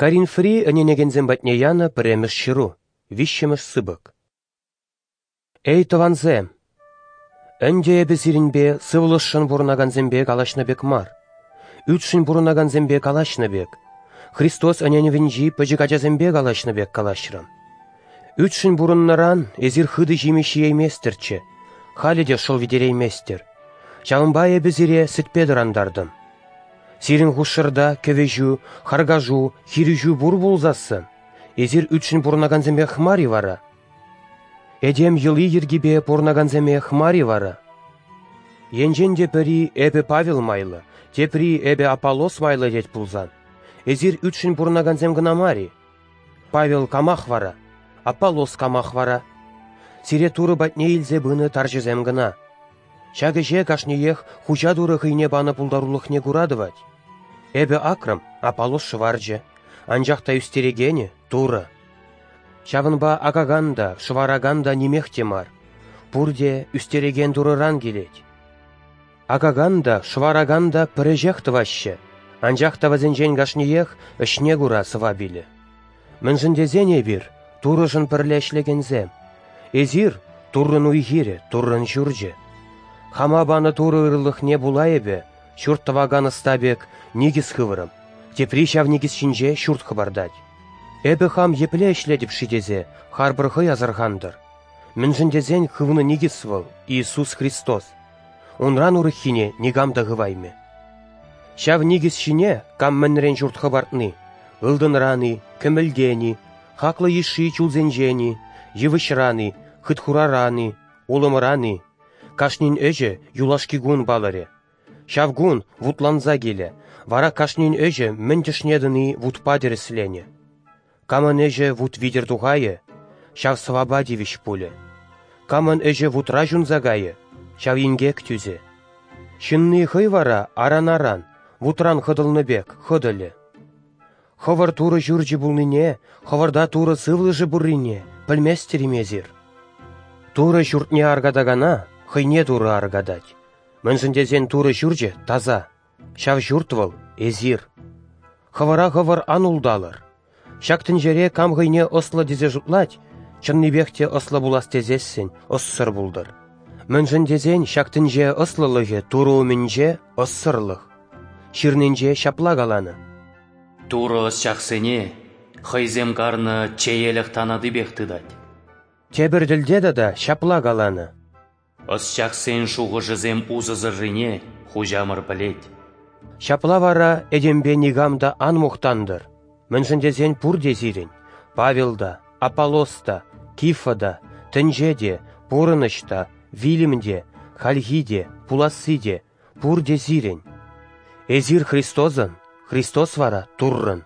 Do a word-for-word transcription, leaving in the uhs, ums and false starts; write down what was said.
Коринфри ӗненекенсем патне янӑ пӗрремӗш ҫыру, виҫҫӗмӗш сыпӑк. Эй, тӑвансем! Ӗнтӗ эпӗ сирӗнпе сывлӑшшӑн пурӑнакансемпе калаҫнӑ пек мар, ӳтшӗн пурӑнакансемпе калаҫнӑ пек, Христос ӗненӗвӗнчи пӗчӗк ачасемпе калаҫнӑ пек калаҫрӑм. Ӳтшӗн пурӑннӑран эсир хытӑ ҫимӗҫ ҫиейместӗрччӗ, халӗ те шӑл витерейместӗр. Ҫавӑнпа эпӗ сире сӗтпе тӑрантартӑм. Сирӗн хушшӑрта кӗвӗҫӳ, харкашу, хирӗҫӳ пур пулсассӑн, эсир ӳтшӗн пурӑнакансемех мар-и вара? Этем йӑли-йӗркипе пурӑнакансемех мар-и вара? Енчен те пӗри эпӗ Павел майлӑ, тепри эпӗ Аполлос майлӑ тет пулсан, эсир ӳтшӗн пурӑнакансем кӑна мар-и? Павел камах вара? Аполлос камах вара? Сире Турӑ патне илсе пынӑ тарҫӑсем кӑна. Ҫак ӗҫе кашниех Хуҫа Турӑ хӑйне панӑ пултарулӑхне кура тӑвать. Эпӗ акрӑм, Аполлос шӑварчӗ, анчах та ӳстерекенӗ — Турӑ. Ҫавӑнпа акакан та, шӑваракан та нимех те мар. Пурте ӳстерекен Турӑран килет. Акакан та, шӑваракан та пӗр ӗҫех тӑваҫҫӗ, анчах та вӗсенчен кашниех ӗҫне кура сӑвап илӗ. Мӗншӗн тесен эпир Турӑшӑн пӗрле ӗҫлекенсем. Эсир — Туррӑн уй-хирӗ, Туррӑн ҫурчӗ. Хама панӑ Турӑ ырӑлӑхне пула эпӗ, ҫурт тӑвакан ӑста пек, никӗс хыврӑм, тепри ҫав никӗс ҫинче ҫурт хӑпартать. Эпӗ хам епле ӗҫлетӗп-ши тесе харпӑр хӑй асӑрхантӑр. Мӗншӗн тесен хывнӑ никӗс вӑл — Иисус Христос. Унран урӑххине никам та хываймӗ. Ҫав никӗс ҫине кам мӗнрен ҫурт хӑпартни — ылтӑнран-и, кӗмӗлтен-и, хаклӑ йышши чулсенчен-и, йывӑҫран-и, хытхураран-и, улӑмран-и — кашнин ӗҫӗ юлашки кун палӑрӗ. Ҫав кун вутланса килӗ, вара кашнин ӗҫӗ мӗн тӗшне тӑни вутпа тӗрӗсленӗ. Камӑн ӗҫӗ вут витӗр тухайӗ, ҫав сӑвапа тивӗҫ пулӗ. Камӑн ӗҫӗ вутра ҫунса кайӗ, ҫав инкек тӳсӗ. Ҫынни хӑй вара аран-аран, вутран хӑтӑлнӑ пек, хӑтӑлӗ. Хӑвӑр Турӑ ҫурчӗ пулнине, хӑвӑрта Турӑ сывлӑшӗ пуррине пӗлместӗр-им эсир? Турӑ ҫуртне аркатакана хӑйне Турӑ аркатать. Мӗншӗн тесен Турӑ ҫурчӗ таса, ҫав ҫурт вӑл — эсир. Хӑвӑра хӑвӑр ан улталӑр. Ҫак тӗнчере кам хӑйне ӑслӑ тесе шутлать, чӑннипех те ӑслӑ пулас тесессӗн ӑссӑр пултӑр. Мӗншӗн тесен ҫак тӗнче ӑслӑлӑхӗ Турӑ умӗнче ӑссӑрлӑх. Ҫырнинче ҫапла каланӑ: Турӑ ӑсчахсене хӑйсем карнӑ чеелӗх танатипех тытать. Тепӗр тӗлте тата ҫапла каланӑ: Ӑсчахсен шухӑшӗсем усӑсӑррине Хуҫамӑр пӗлет. Ҫапла вара этемпе никам та ан мухтантӑр, мӗншӗн тесен пурте сирӗн: Павел та, Аполлос та, Кифа та, тӗнче те, пурӑнӑҫ та, вилӗм те, хальхи те, пуласси те, пурте сирӗн. Эсир Христосӑн, Христос вара Туррӑн.